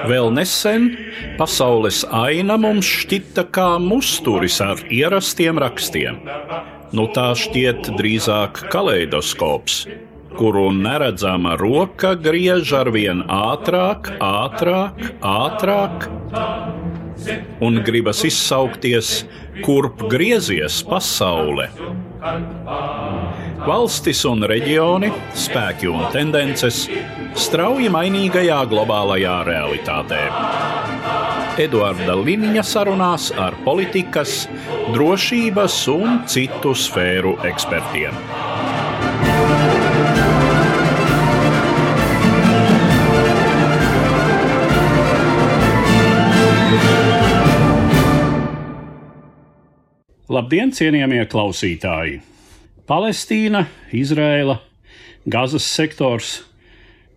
Vēl nesen pasaules aina mums šķita kā musturis ar ierastiem rakstiem. Nu tā šķiet drīzāk kaleidoskops, kuru neredzama roka griež arvien ātrāk, un gribas izsaukties, kurp griezies pasaule. Valstis un reģioni, spēki un tendences strauji mainīgajā globālajā realitātē. Eduarda Liniņa sarunās ar politikas, drošības un citu sfēru ekspertiem. Labdien, cienījamie klausītāji! Palestīna, Izraela, Gazas sektors –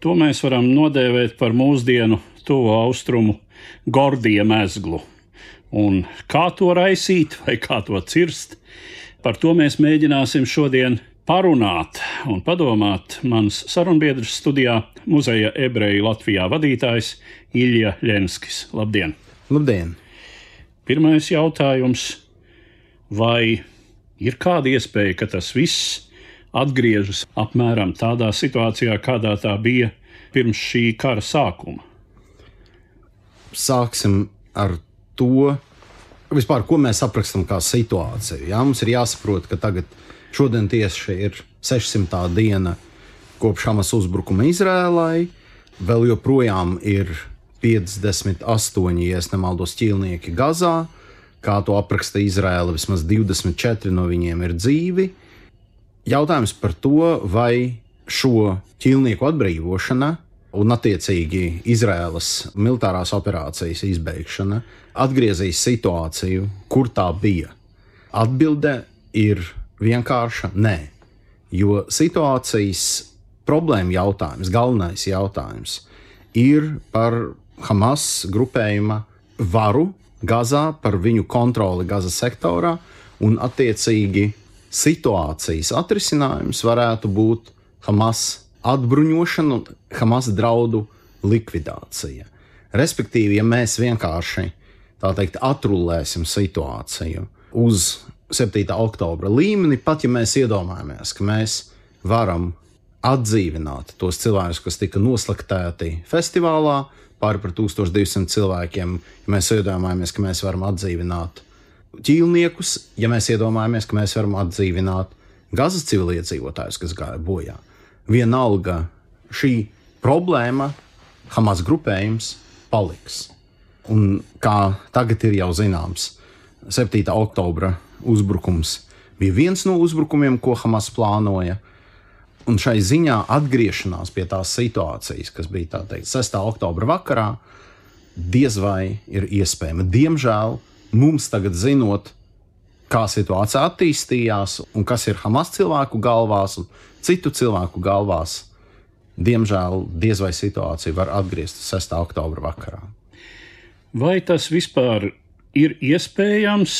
to mēs varam nodēvēt par mūsdienu tuvo austrumu Gordija mezglu. Un kā to raisīt vai kā to cirst, par to mēs mēģināsim šodien parunāt un padomāt. Mans sarunbiedrs studijā Muzeja ebreju Latvijā vadītājs Ilja Ļenskis. Labdien! Labdien! Pirmais jautājums. Vai ir kāda iespēja, ka tas viss atgriežas apmēram tādā situācijā, kādā tā bija pirms šī kara sākuma? Sāksim ar to, vispār, ko mēs aprakstam kā situāciju. Jā, mums ir jāsaprot, ka šodien tieši ir 600. diena kopš Hamas uzbrukuma Izrēlai. Vēl joprojām ir 58, ja es nemaldos, ķīlnieki Gazā. Kā to apraksta Izraela, vismaz 24 no viņiem ir dzīvi. Jautājums par to, vai šo ķīlnieku atbrīvošana un attiecīgi Izraēlas militārās operācijas izbeigšana atgriezīs situāciju, kur tā bija. Atbilde ir vienkārša nē, jo situācijas problēma jautājums, galvenais jautājums ir par Hamas grupējuma varu Gazā, par viņu kontroli Gazas sektorā, un attiecīgi situācijas atrisinājums varētu būt Hamas atbruņošana un Hamas draudu likvidācija. Respektīvi, ja mēs vienkārši, tā teikt, atrullēsim situāciju uz 7. oktobra līmeni, pat ja mēs iedomājamies, ka mēs varam atdzīvināt tos cilvēkus, kas tika noslaktēti festivālā, pāri par 1200 cilvēkiem, ja mēs iedomājamies, ka mēs varam atdzīvināt ķīlniekus, ja mēs iedomājamies, ka mēs varam atdzīvināt Gazas civiliedzīvotājus, kas gāja bojā. Vienalga šī problēma, Hamas grupējums, paliks. Un kā tagad ir jau zināms, 7. oktobra uzbrukums bija viens no uzbrukumiem, ko Hamas plānoja. Un šai ziņā atgriešanās pie tās situācijas, kas bija tā teikt 6. oktobra vakarā, diez vai ir iespējama. Diemžēl mums tagad zinot, kā situācija attīstījās un kas ir Hamas cilvēku galvās un citu cilvēku galvās, diemžēl diez vai situācija var atgriezt 6. oktobra vakarā. Vai tas vispār ir iespējams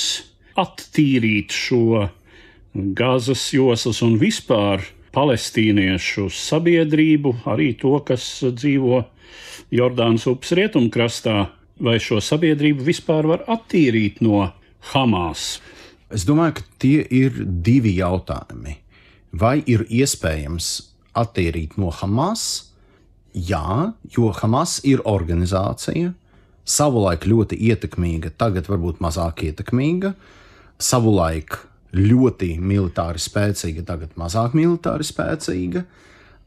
attīrīt šo Gazas joslas un vispār palestīniešu sabiedrību, arī to, kas dzīvo Jordānas upes rietumkrastā, vai šo sabiedrību vispār var attīrīt no Hamas? Es domāju, ka tie ir divi jautājumi. Vai ir iespējams attīrīt no Hamas? Jā, jo Hamas ir organizācija, savulaik ļoti ietekmīga, tagad varbūt mazāk ietekmīga, savulaik ļoti militāri spēcīga, tagad mazāk militāri spēcīga.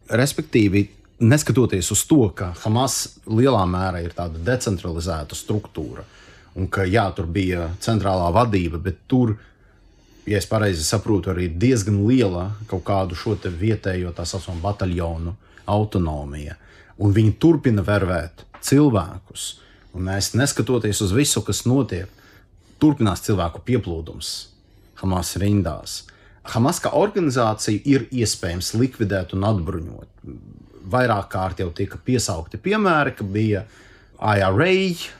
Respektīvi, neskatoties uz to, ka Hamas lielā mērā ir tāda decentralizēta struktūra, un ka jā, tur bija centrālā vadība, bet tur, ja es pareizi saprotu, arī diezgan liela kaut kādu šo te vietējo tā saucamo bataljonu autonomija. Un viņi turpina vervēt cilvēkus. Un mēs, neskatoties uz visu, kas notiek, turpinās cilvēku pieplūdums Hamas rindās. Hamas kā organizācija ir iespējams likvidēt un atbruņot. Vairāk kārt jau tika piesaukti piemēri, ka bija IRA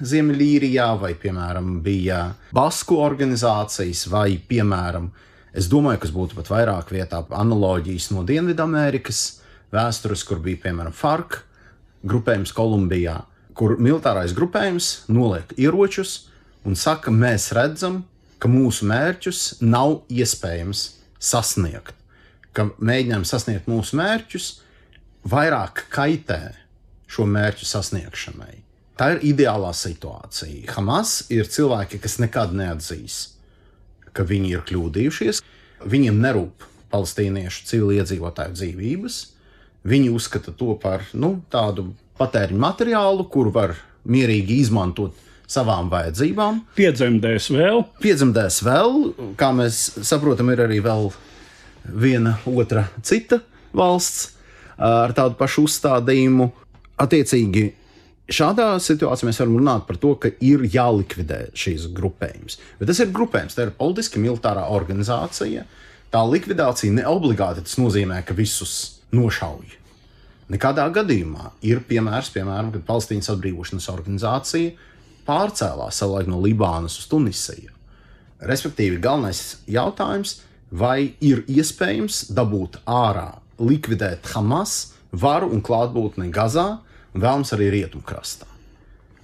Ziemeļīrijā, vai, piemēram, bija Basku organizācijas, vai, piemēram, es domāju, kas būtu pat vairāk vietā analoģijas no Dienvidamerikas vēstures, kur bija, piemēram, FARC grupējums Kolumbijā, kur militārais grupējums noliek ieročus un saka, mēs redzam, ka mūsu mērķus nav iespējams sasniegt, ka mēģinājumi sasniegt mūsu mērķus vairāk kaitē šo mērķu sasniegšanai. Tā ir ideālā situācija. Hamas ir cilvēki, kas nekad neatzīs, ka viņi ir kļūdījušies. Viņiem nerūp palestīniešu civiliedzīvotāju dzīvības. Viņi uzskata to par tādu patēriņu materiālu, kuru var mierīgi izmantot savām vajadzībām. Piedzemdēs vēl, kā mēs saprotam, ir arī vēl viena otra cita valsts ar tādu pašu uzstādījumu. Attiecīgi, šādā situācijā mēs varam runāt par to, ka ir jālikvidē šīs grupējums. Bet tas ir grupējums, tā ir politiski militārā organizācija. Tā likvidācija neobligāti tas nozīmē, ka visus nošauj. Nekādā gadījumā ir piemēram, kad Palestīnas atbrīvošanas organizācija pārcēlās savulaik no Libānas uz Tunisiju. Respektīvi, galvenais jautājums, vai ir iespējams dabūt ārā, likvidēt Hamas varu un klātbūtni Gazā, un vēlams arī Rietumkrastā.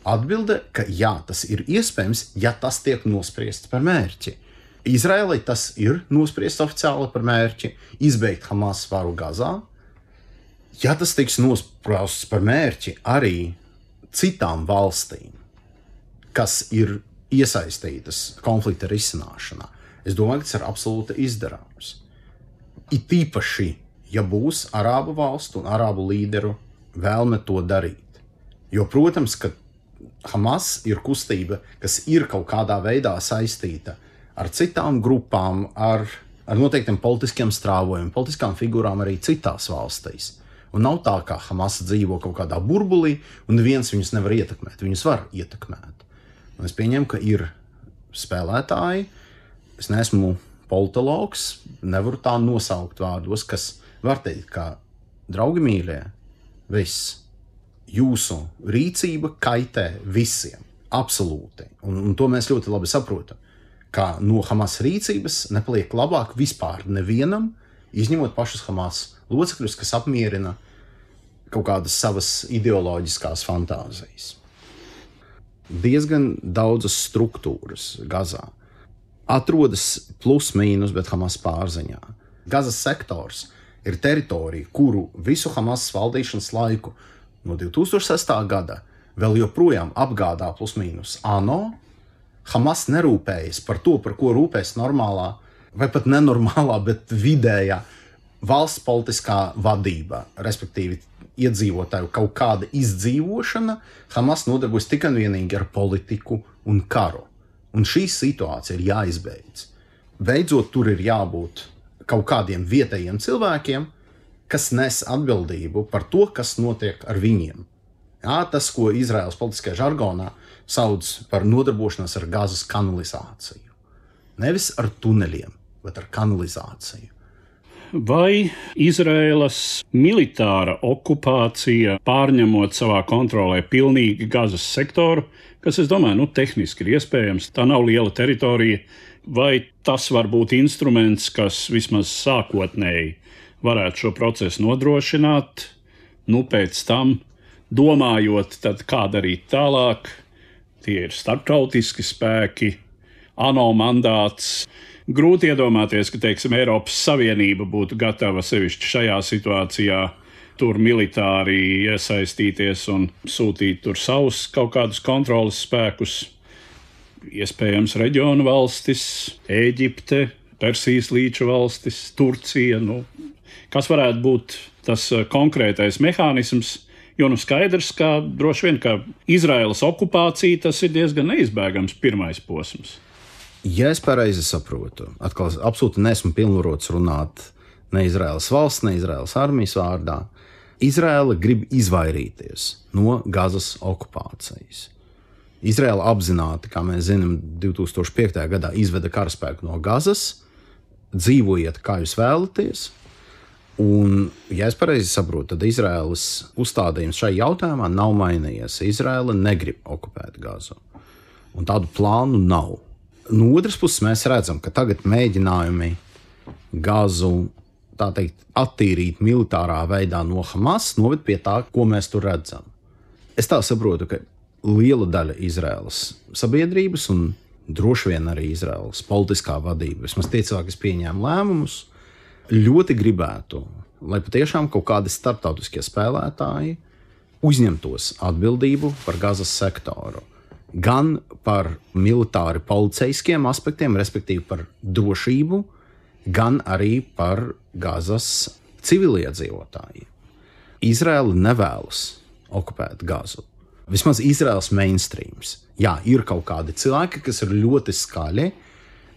Atbilde, ka jā, tas ir iespējams, ja tas tiek nospriests par mērķi. Izraēlai tas ir nospriests oficiāli par mērķi izbeigt Hamas varu Gazā. Ja tas tiks nospriests par mērķi arī citām valstīm, kas ir iesaistītas konflikta risināšanā, es domāju, ka tas ir absolūti izdarāms. It īpaši, ja būs arābu valstu un arābu līderu vēlme to darīt. Jo, protams, ka Hamas ir kustība, kas ir kaut kādā veidā saistīta ar citām grupām, ar noteiktiem politiskiem strāvojumiem, politiskām figūrām arī citās valstīs. Un nav tā, ka Hamas dzīvo kaut kādā burbulī, un neviens viņus nevar ietekmēt. Viņus var ietekmēt. Un es pieņemu, ka ir spēlētāji, es neesmu politologs, nevaru tā nosaukt vārdos, kas var teikt, ka draugi mīļie, viss, jūsu rīcība kaitē visiem, absolūti. Un to mēs ļoti labi saprotam, ka no Hamas rīcības nepaliek labāk vispār nevienam, izņemot pašus Hamas locekļus, kas apmierina kaut kādas savas ideoloģiskās fantāzijas. Diezgan daudzas struktūras Gazā atrodas plus mīnus, bet Hamas pārziņā. Gazas sektors ir teritorija, kuru visu Hamas valdīšanas laiku no 2006. gada vēl joprojām apgādā plus mīnus ANO. Hamas nerūpējas par to, par ko rūpēs normālā vai pat nenormālā, bet vidējā valsts politiskā vadība, respektīvi iedzīvotāju kaut kāda izdzīvošana. Hamas nodarbojas tikai un vienīgi ar politiku un karu. Un šī situācija ir jāizbeidz. Beidzot, tur ir jābūt kaut kādiem vietējiem cilvēkiem, kas nes atbildību par to, kas notiek ar viņiem. Jā, tas, ko Izraēlas politiskajā žargonā sauc par nodarbošanos ar Gazas kanalizāciju. Nevis ar tuneļiem, bet ar kanalizāciju. Vai Izraēlas militāra okupācija, pārņemot savā kontrolē pilnīgi Gazas sektoru, kas, es domāju, tehniski ir iespējams, tā nav liela teritorija, vai tas var būt instruments, kas vismaz sākotnēji varētu šo procesu nodrošināt, pēc tam domājot, tad kā darīt tālāk, tie ir starptautiski spēki, ANO mandāts. Grūti iedomāties, ka, Eiropas Savienība būtu gatava sevišķi šajā situācijā tur militāri iesaistīties un sūtīt tur savus kaut kādus kontroles spēkus. Iespējams, reģionu valstis, Ēģipte, Persijas līča valstis, Turcija. Kas varētu būt tas konkrētais mehānisms? Jo skaidrs, ka droši vien, ka Izraēlas okupācija tas ir diezgan neizbēgams pirmais posms. Ja es pareizi saprotu, atkal absolūti neesmu pilnvarots runāt ne Izraēlas valsts, ne Izraēlas armijas vārdā. Izraēla grib izvairīties no Gazas okupācijas. Izraēla apzināti, kā mēs zinām, 2005. gadā izveda karaspēku no Gazas, dzīvojiet, kā jūs vēlaties. Un, ja es pareizi saprotu, tad Izraēlas uzstādījums šai jautājumā nav mainījies. Izraēla negrib okupēt Gazu. Un tādu plānu nav. No otras puses mēs redzam, ka tagad mēģinājumi Gazu tā teikt, attīrīt militārā veidā no Hamas, noved pie tā, ko mēs tur redzam. Es tā saprotu, ka liela daļa Izraēlas sabiedrības un droši vien arī Izraēlas politiskā vadība, vismaz tie cilvēki, kas pieņēma lēmumus, ļoti gribētu, lai patiešām kaut kādi starptautiskie spēlētāji uzņemtos atbildību par Gazas sektoru. Gan par militāri policijskiem aspektiem, respektīvi par drošību, gan arī par Gazas civiliedzīvotājiem. Izraela nevēlas okupēt Gazu. Vismaz Izraels mainstreams. Jā, ir kaut kādi cilvēki, kas ir ļoti skaļi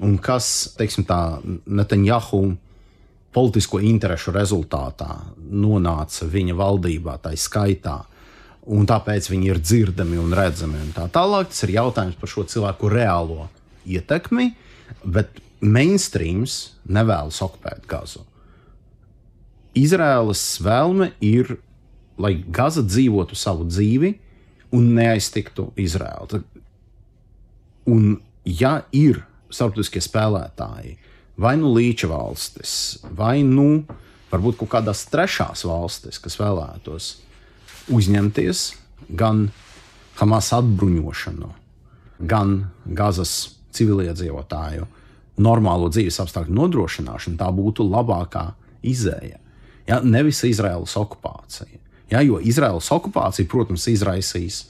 un kas, teiksim tā, Netanjahu politisko interešu rezultātā nonāca viņa valdībā, tai skaitā, un tāpēc viņi ir dzirdami un redzami un tā tālāk. Tas ir jautājums par šo cilvēku reālo ietekmi, bet mainstreams nevēlas okupēt Gazu. Izraēlas vēlme ir, lai Gaza dzīvotu savu dzīvi un neaiztiktu Izraēlu. Un ja ir starptautiskie spēlētāji, vai nu līča valstis, vai nu varbūt kaut kādās trešās valstis, kas vēlētos uzņemties gan Hamas atbruņošanu, gan Gazas civiliedzīvotāju normālo dzīves apstākļu nodrošināšanu, tā būtu labākā izēja. Ja, nevis Izraēlas okupācija. Ja, jo Izraēlas okupācija, protams, izraisīs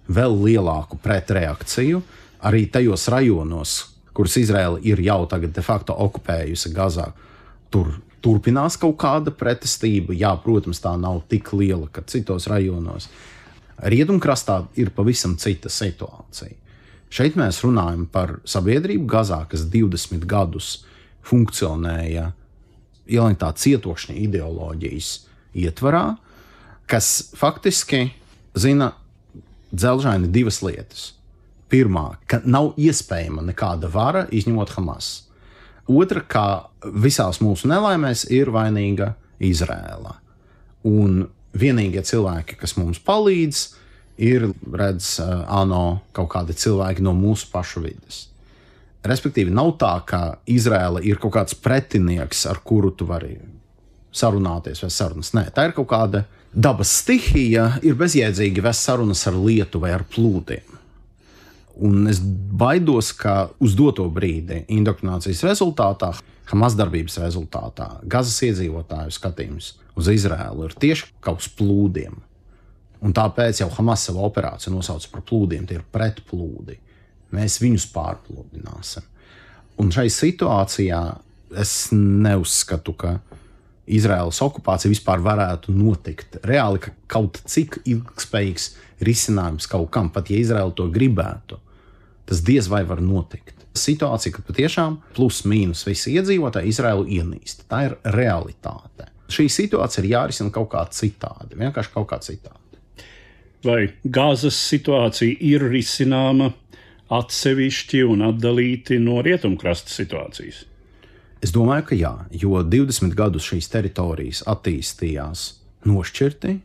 vēl lielāku pretreakciju arī tajos rajonos, kurus Izraēla ir jau tagad de facto okupējusi Gazā. Tur turpinās kaut kāda pretestība. Jā, protams, tā nav tik liela, kā citos rajonos. Rietumkrastā ir pavisam cita situācija. Šeit mēs runājam par sabiedrību Gazā, kas 20 gadus funkcionēja ielintā cietokšņa ideoloģijas ietvarā, kas faktiski zina dzelžaini divas lietas. Pirmā, ka nav iespējama nekāda vara, izņemot Hamas. Otra, ka visās mūsu nelaimēs ir vainīga Izraēla. Un vienīgie cilvēki, kas mums palīdz, ir, ANO kaut kādi cilvēki no mūsu pašu vides. Respektīvi, nav tā, ka Izraēla ir kaut kāds pretinieks, ar kuru tu vari sarunāties vai sarunas. Nē, tā ir kaut kāda dabas stihija, ir bezjēdzīgi vest sarunas ar lietu vai ar plūdiem. Un es baidos, ka uz doto brīdi indoktrinācijas rezultātā, Hamas darbības rezultātā, Gazas iedzīvotāju skatījums uz Izraēlu ir tieši kā uz plūdiem. Un tāpēc jau Hamas savu operāciju nosauca par plūdiem, tie ir pretplūdi. Mēs viņus pārplūdināsim. Un šai situācijā es neuzskatu, ka Izraēlas okupācija vispār varētu notikt. Reāli, ka kaut cik ilgspējīgs risinājums kaut kam, pat ja Izraēla to gribētu, tas diez vai var notikt. Situācija, ka patiešām plus mīnus visi iedzīvotāji Izraēlu ienīst. Tā ir realitāte. Šī situācija ir jārisina kaut kā citādi, vienkārši kaut kā citādi. Vai Gazas situācija ir risināma atsevišķi un atdalīti no rietumkrasta situācijas? Es domāju, ka jā, jo 20 gadus šīs teritorijas attīstījās nošķirti.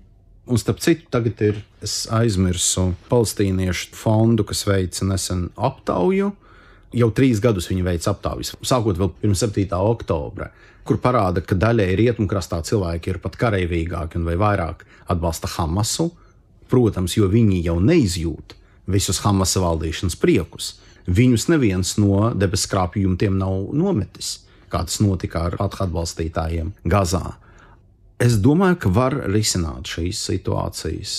Un starp citu, tagad es aizmirsu palestīniešu fondu, kas veica nesen aptauju. Jau 3 gadus viņi veica aptaujas, sākot vēl pirms 7. oktobra, kur parāda, ka daļai rietumkrastā cilvēki ir pat kareivīgāki un vai vairāk atbalsta Hamasu. Protams, jo viņi jau neizjūt visus Hamasa valdīšanas priekus. Viņus neviens no debesskrāpju jumtiem nav nometis, kā tas notika ar Fatah atbalstītājiem Gazā. Es domāju, ka var risināt šīs situācijas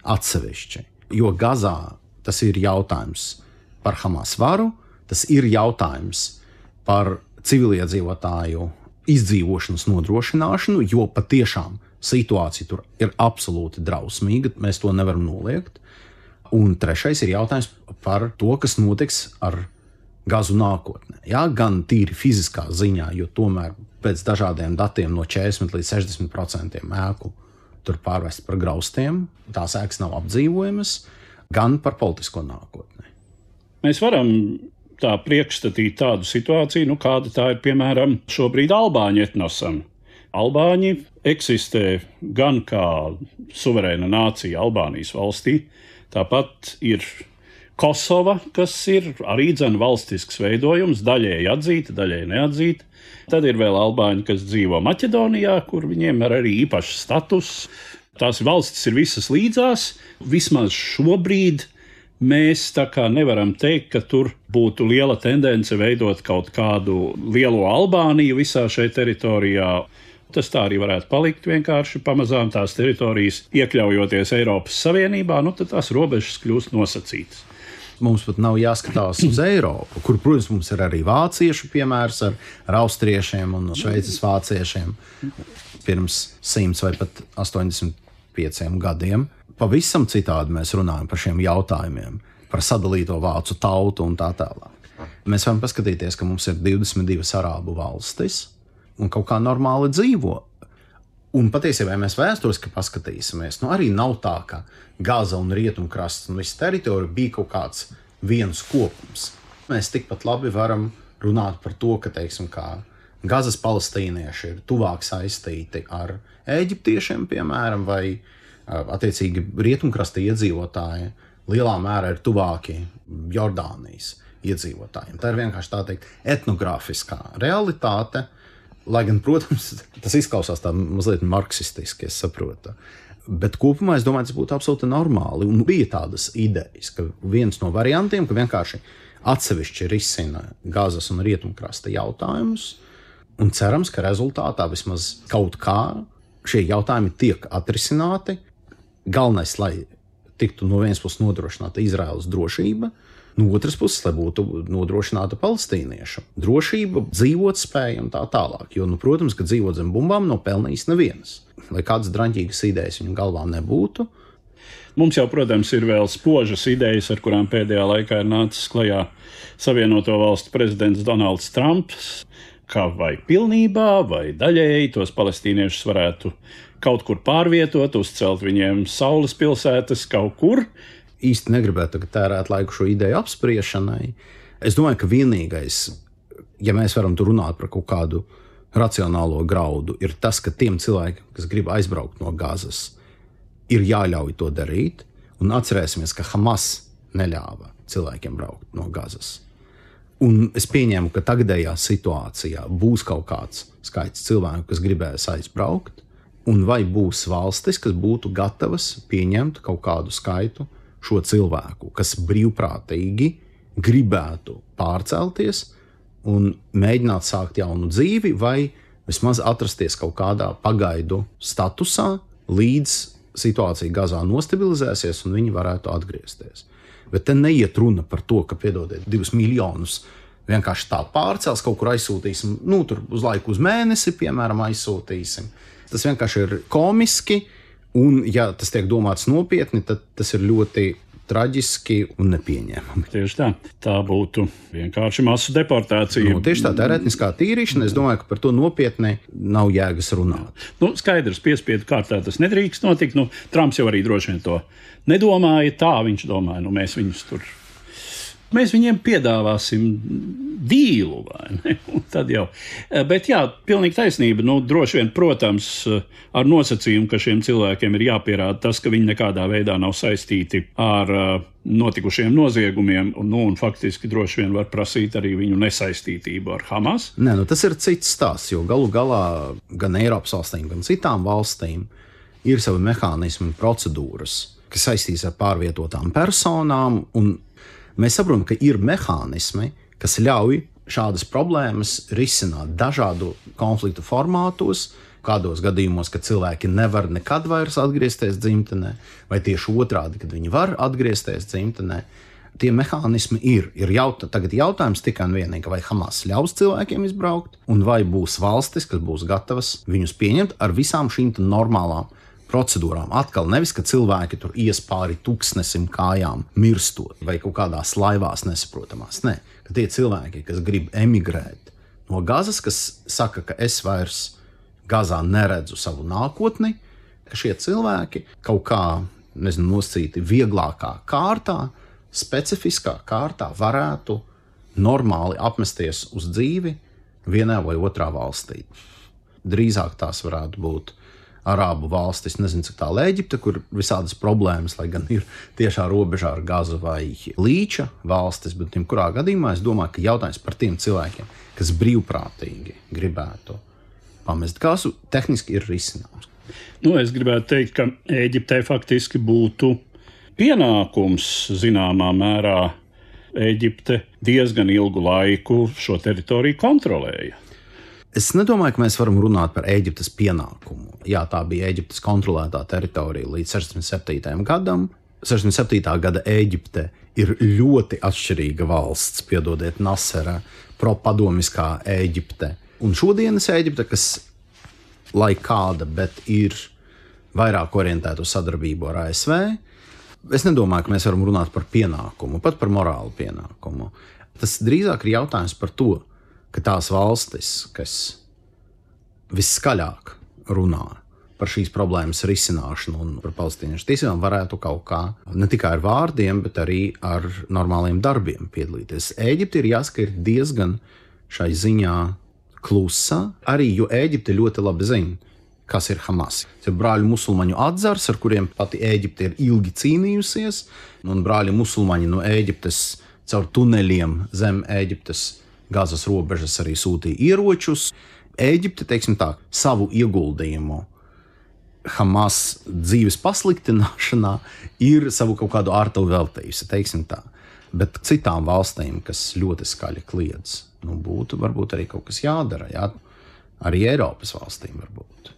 atsevišķi, jo Gazā tas ir jautājums par Hamas varu, tas ir jautājums par civiliedzīvotāju izdzīvošanas nodrošināšanu, jo patiešām situācija tur ir absolūti drausmīga, mēs to nevaram noliegt. Un trešais ir jautājums par to, kas notiks ar Gazu nākotnē. Jā, gan tīri fiziskā ziņā, jo tomēr pēc dažādiem datiem no 40 līdz 60% ēku tur pārvest par graustiem, tās ēkas nav apdzīvojamas, gan par politisko nākotni. Mēs varam tā priekšstatīt tādu situāciju, kāda tā ir, piemēram, šobrīd albāņu etnosam. Albāņi eksistē gan kā suverēna nācija Albānijas valstī, tāpat ir Kosova, kas ir arī valstisks veidojums, daļēji atzīta, daļēji neatzīta. Tad ir vēl albāņi, kas dzīvo Maķedonijā, kur viņiem ir arī īpašs status. Tās valstis ir visas līdzās. Vismaz šobrīd mēs tā kā nevaram teikt, ka tur būtu liela tendence veidot kaut kādu lielo Albāniju visā šajā teritorijā. Tas tā arī varētu palikt vienkārši pamazām tās teritorijas, iekļaujoties Eiropas Savienībā, tad tās robežas kļūst nosacītas. Mums pat nav jāskatās uz Eiropu, kur, protams, mums ir arī vāciešu piemērs ar austriešiem un šveices vāciešiem pirms 100 vai pat 85 gadiem. Pavisam citādi mēs runājam par šiem jautājumiem, par sadalīto vācu tautu un tā tālāk. Mēs varam paskatīties, ka mums ir 22 arābu valstis un kaut kā normāli dzīvo. Un patiesībā, ja mēs vēsturiski paskatīsimies, arī nav tā, ka Gaza un Rietumkrasts un visa teritorija bija kaut kāds viens kopums. Mēs tikpat labi varam runāt par to, ka, teiksim, kā Gazas palestīnieši ir tuvāk saistīti ar eģiptiešiem, piemēram, vai attiecīgi Rietumkrasta iedzīvotāji lielā mērā ir tuvāki Jordānijas iedzīvotājiem. Tā ir vienkārši tā teikt etnogrāfiskā realitāte. Lai gan, protams, tas izklausās tā mazliet marksistiski, es saprotu. Bet kopumā es domāju, tas būtu absolūti normāli. Un bija tādas idejas, ka viens no variantiem, ka vienkārši atsevišķi risina Gazas un Rietumkrasta jautājumus. Un cerams, ka rezultātā vismaz kaut kā šie jautājumi tiek atrisināti. Galvenais, lai tiktu no vienas puses nodrošināta Izraēlas drošība, no otras puses, lai būtu nodrošināta palestīniešu drošība, dzīvotspēja un tā tālāk. Jo, protams, ka dzīvot zem bumbām nav pelnījis neviens. Lai kādas draņķīgas idejas viņu galvā nebūtu. Mums jau, protams, ir vēl spožas idejas, ar kurām pēdējā laikā ir nācis klajā Savienoto Valstu prezidents Donalds Trumps, kā vai pilnībā, vai daļēji tos palestīniešus varētu kaut kur pārvietot, uzcelt viņiem saules pilsētas kaut kur. Īsti negribētu tērēt laiku šo ideju apspriešanai. Es domāju, ka vienīgais, ja mēs varam tur runāt par kaut kādu racionālo graudu, ir tas, ka tiem cilvēkiem, kas grib aizbraukt no Gazas, ir jāļauj to darīt. Un atcerēsimies, ka Hamas neļāva cilvēkiem braukt no Gazas. Un es pieņēmu, ka tagadējā situācijā būs kaut kāds skaits cilvēku, kas gribēs aizbraukt, un vai būs valstis, kas būtu gatavas pieņemt kaut kādu skaitu šo cilvēku, kas brīvprātīgi gribētu pārcelties un mēģināt sākt jaunu dzīvi vai vismaz atrasties kaut kādā pagaidu statusā, līdz situācija Gazā nostabilizēsies un viņi varētu atgriezties. Bet te neiet runa par to, ka, piedodiet, 2 miljonus vienkārši tā pārcels, kaut kur aizsūtīsim, tur uz laiku uz mēnesi, piemēram, aizsūtīsim. Tas vienkārši ir komiski. Un, ja tas tiek domāts nopietni, tad tas ir ļoti traģiski un nepieņēmami. Tieši tā. Tā būtu vienkārši masu deportācija. Tieši tā ir etniskā tīrīšana. Es domāju, ka par to nopietni nav jēgas runāt. Skaidrs, piespiedu kārtā tas nedrīkst notikt. Trumps jau arī droši vien to nedomāja. Tā viņš domāja, mēs viņus tur. Mēs viņiem piedāvāsim dīlu, vai ne? Tad jau. Bet jā, pilnīgi taisnība. Droši vien, protams, ar nosacījumu, ka šiem cilvēkiem ir jāpierāda tas, ka viņi nekādā veidā nav saistīti ar notikušiem noziegumiem, un faktiski droši vien var prasīt arī viņu nesaistītību ar Hamas. Nē, tas ir cits stāsts, jo galu galā gan Eiropas valstīm, gan citām valstīm ir savi mehānismi un procedūras, kas saistīs ar pārvietotām personām, un mēs saprotam, ka ir mehānismi, kas ļauj šādas problēmas risināt dažādu konfliktu formātos, kādos gadījumos, kad cilvēki nevar nekad vairs atgriezties dzimtenē, vai tieši otrādi, kad viņi var atgriezties dzimtenē. Tie mehānismi ir. Tagad jautājums tikai un vienīgi, vai Hamas ļaus cilvēkiem izbraukt, un vai būs valstis, kas būs gatavas viņus pieņemt ar visām šīm normālām procedūrām. Atkal nevis, ka cilvēki tur ies pāri tūkstnesim kājām mirstot vai kaut kādās laivās nesaprotamās. Nē, ka tie cilvēki, kas grib emigrēt no Gazas, kas saka, ka es vairs Gazā neredzu savu nākotni, ka šie cilvēki kaut kā, nosacīti vieglākā kārtā, specifiskā kārtā varētu normāli apmesties uz dzīvi vienā vai otrā valstī. Drīzāk tās varētu būt Arābu valstis, nezinu, cik tālu Ēģipte, kur visādas problēmas, lai gan ir tiešā robežā ar Gazu vai Līča valstis, bet kurā gadījumā es domāju, ka jautājums par tiem cilvēkiem, kas brīvprātīgi gribētu pamest Gazu, tehniski ir risināms. Es gribētu teikt, ka Ēģiptei faktiski būtu pienākums zināmā mērā. Ēģipte diezgan ilgu laiku šo teritoriju kontrolēja. Es nedomāju, ka mēs varam runāt par Ēģiptes pienākumu. Jā, tā bija Ēģiptes kontrolētā teritorija līdz 67. gadam. 67. gada Ēģipte ir ļoti atšķirīga valsts, piedodiet, Nasera, propadomiskā Ēģipte. Un šodienas Ēģipte, kas lai kāda, bet ir vairāk orientēta uz sadarbību ar ASV, es nedomāju, ka mēs varam runāt par pienākumu, pat par morālu pienākumu. Tas drīzāk ir jautājums par to, ka tās valstis, kas visskaļāk runā par šīs problēmas risināšanu un par palestīniešu tiesībām, varētu kaut kā ne tikai ar vārdiem, bet arī ar normāliem darbiem piedalīties. Ēģipte ir jāsaka, ir diezgan šai ziņā klusa, arī jo Ēģipte ļoti labi zina, kas ir Hamas. Tas ir brāļu musulmaņu atzars, ar kuriem pati Ēģipte ir ilgi cīnījusies, un brāļu musulmaņi no Ēģiptes caur tuneļiem zem Ēģiptes Gazas robežas arī sūtīja ieročus. Ēģipte, teiksim tā, savu ieguldījumu Hamas dzīves pasliktināšanā ir savu kaut kādu ārtavu veltījusi, teiksim tā. Bet citām valstīm, kas ļoti skaļi kliedz, būtu varbūt arī kaut kas jādara, jā? Arī Eiropas valstīm varbūt.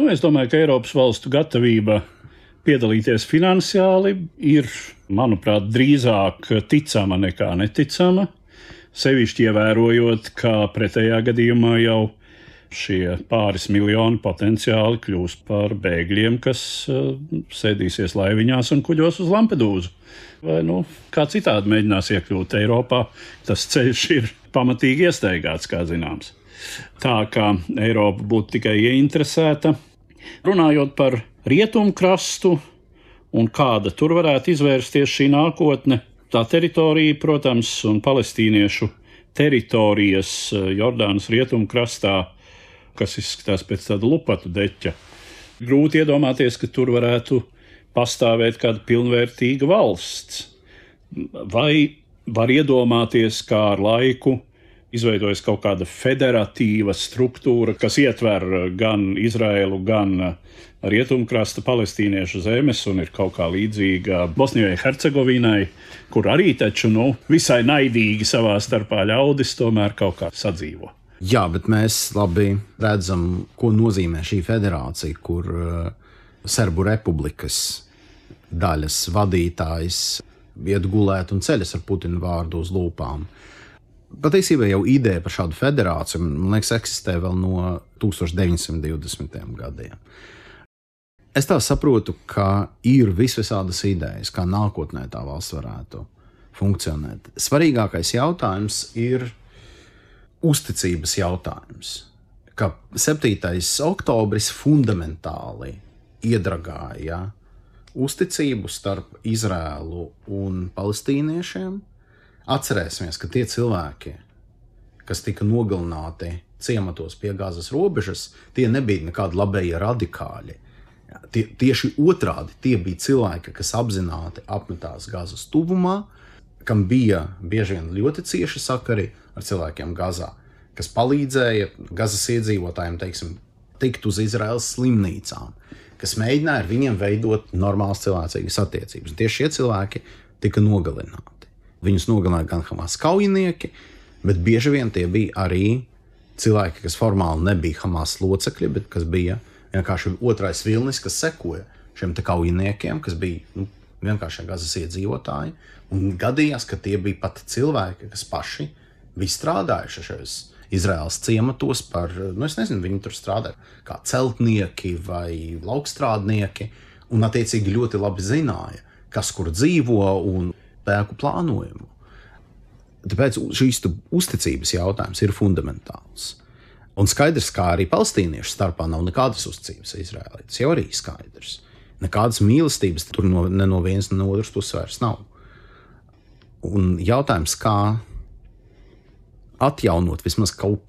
Es domāju, ka Eiropas valstu gatavība piedalīties finansiāli ir, manuprāt, drīzāk ticama nekā neticama. Sevišķi ievērojot, ka pretējā gadījumā jau šie pāris miljoni potenciāli kļūs par bēgļiem, kas sēdīsies laiviņās un kuģos uz Lampedūzu. Vai kā citādi mēģinās iekļūt Eiropā, tas ceļš ir pamatīgi iestaigāts, kā zināms. Tā kā Eiropa būtu tikai ieinteresēta. Runājot par rietumkrastu un kāda tur varētu izvērsties šī nākotne, tā teritorija, protams, un palestīniešu teritorijas Jordānas rietumkrastā, kas izskatās pēc tāda lupatu deķa. Grūti iedomāties, ka tur varētu pastāvēt kāda pilnvērtīga valsts. Vai var iedomāties, kā ar laiku izveidojas kaut kāda federatīva struktūra, kas ietver gan Izraēlu, gan rietumkrasta palestīniešu zemes un ir kaut kā līdzīga Bosnijai Hercegovinai, kur arī taču visai naidīgi savā starpā ļaudis tomēr kaut kā sadzīvo. Jā, bet mēs labi redzam, ko nozīmē šī federācija, kur Serbu republikas daļas vadītājs iet gulēt un ceļas ar Putina vārdu uz lūpām. Patiesībā jau ideja par šādu federāciju, man liekas, eksistē vēl no 1920. gadiem. Es tā saprotu, ka ir visvisādas idejas, kā nākotnē tā valsts varētu funkcionēt. Svarīgākais jautājums ir uzticības jautājums, ka 7. oktobris fundamentāli iedragāja uzticību starp Izraēlu un palestīniešiem. Atcerēsimies, ka tie cilvēki, kas tika nogalināti ciematos pie Gazas robežas, tie nebija nekādi labējie radikāļi. Tieši otrādi, tie bija cilvēki, kas apzināti apmetās Gazas tuvumā, kam bija bieži vien ļoti cieši sakari ar cilvēkiem Gazā, kas palīdzēja Gazas iedzīvotājiem, tikt uz Izraēlas slimnīcām, kas mēģināja ar viņiem veidot normālas cilvēcīgas attiecības. Un tieši šie cilvēki tika nogalināti. Viņus nogalināja gan Hamas kaujinieki, bet bieži vien tie bija arī cilvēki, kas formāli nebija Hamas locekļi, bet kas bija vienkārši otrais vilnis, kas sekoja šiem te kaujiniekiem, kas bija vienkārši Gazas iedzīvotāji. Un gadījās, ka tie bija pat cilvēki, kas paši bija strādājuši šajos Izraēlas ciematos par, es nezinu, viņi tur strādāja kā celtnieki vai laukstrādnieki, un attiecīgi ļoti labi zināja, kas kur dzīvo un spēku plānojumu. Tāpēc šīs uzticības jautājums ir fundamentāls. Un skaidrs, kā arī palestīniešu starpā nav nekādas uzticības Izraēlai. Tas jau arī skaidrs. Nekādas mīlestības tur ne no vienas, ne no otras puses vairs nav. Un jautājums, kā atjaunot vismaz kaut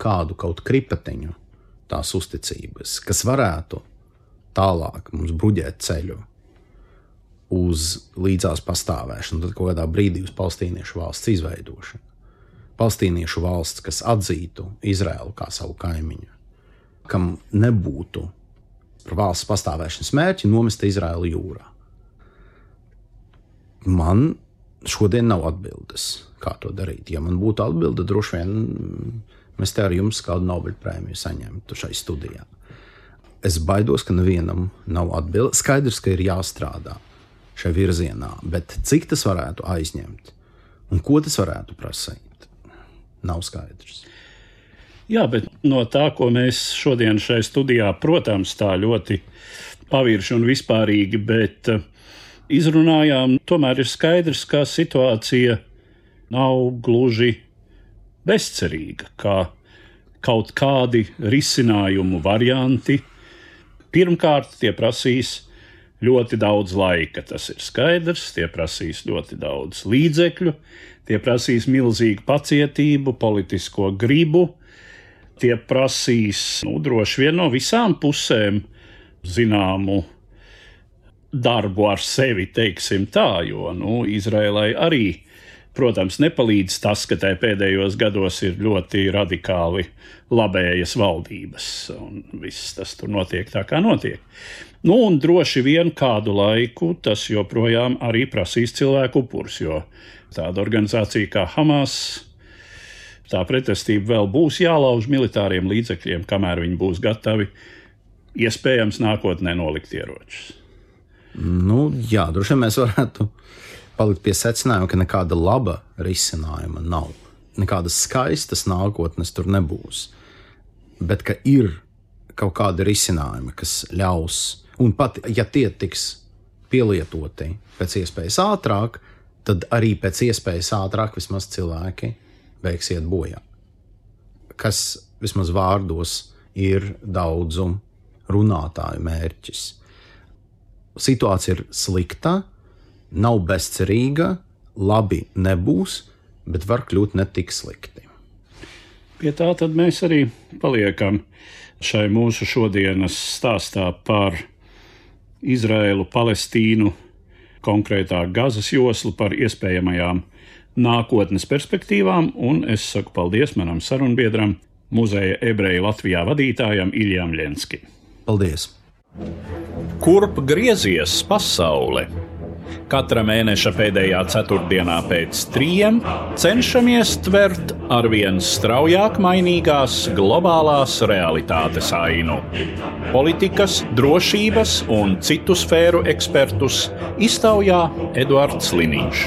kripatiņu tās uzticības, kas varētu tālāk mums bruģēt ceļu uz līdzās pastāvēšanu, tad kaut kādā brīdī uz palestīniešu valsts izveidošanu. Palestīniešu valsts, kas atzītu Izraēlu kā savu kaimiņu, kam nebūtu par valsts pastāvēšanas mērķi nomest Izraēlu jūrā. Man šodien nav atbildes, kā to darīt. Ja man būtu atbilde, droši vien mēs te ar jums kādu Nobeļa prēmiju saņemtu šai studijā. Es baidos, ka nevienam nav atbilde. Skaidrs, ka ir jāstrādā šai virzienā, bet cik tas varētu aizņemt un ko tas varētu prasīt, nav skaidrs. Jā, bet no tā, ko mēs šodien šai studijā, protams, tā ļoti pavirši un vispārīgi, bet izrunājām, tomēr ir skaidrs, ka situācija nav gluži bezcerīga, kā kaut kādi risinājumu varianti. Pirmkārt, tie prasīs ļoti daudz laika, tas ir skaidrs, tie prasīs ļoti daudz līdzekļu, tie prasīs milzīgu pacietību, politisko gribu, tie prasīs, droši vien no visām pusēm zināmu darbu ar sevi, teiksim tā, jo, Izraēlai arī, protams, nepalīdz tas, ka tai pēdējos gados ir ļoti radikāli labējas valdības, un viss tas tur notiek tā, kā notiek. Un droši vien kādu laiku tas joprojām arī prasīs cilvēku upurus, jo tāda organizācija kā Hamas, tā pretestība vēl būs jālauž militāriem līdzekļiem, kamēr viņi būs gatavi, iespējams, nākotnē nolikt ieročus. Jā, droši vien mēs varētu palikt pie secinājuma, ka nekāda laba risinājuma nav. Nekādas skaistas nākotnes tur nebūs. Bet ka ir kaut kādi risinājumi, kas ļaus, un pat ja tie tiks pielietoti pēc iespējas ātrāk, tad arī pēc iespējas ātrāk vismaz cilvēki beigs iet bojā. Kas vismaz vārdos ir daudzu runātāju mērķis. Situācija ir slikta, nav bezcerīga, labi nebūs, bet var kļūt ne tik slikti. Pie tā tad mēs arī paliekam šai mūsu šodienas stāstā par Izraēlu, Palestīnu, konkrētāk Gazas joslu, par iespējamajām nākotnes perspektīvām, un es saku paldies manam sarunbiedram, Muzeja ebreju Latvijā vadītājam Iljam Ļenskim. Paldies! Kurp griezies pasaule? Katra mēneša pēdējā ceturtdienā pēc 3 cenšamies tvert arvien straujāk mainīgās globālās realitātes ainu. Politikas, drošības un citu sfēru ekspertus iztaujā Eduards Liniņš.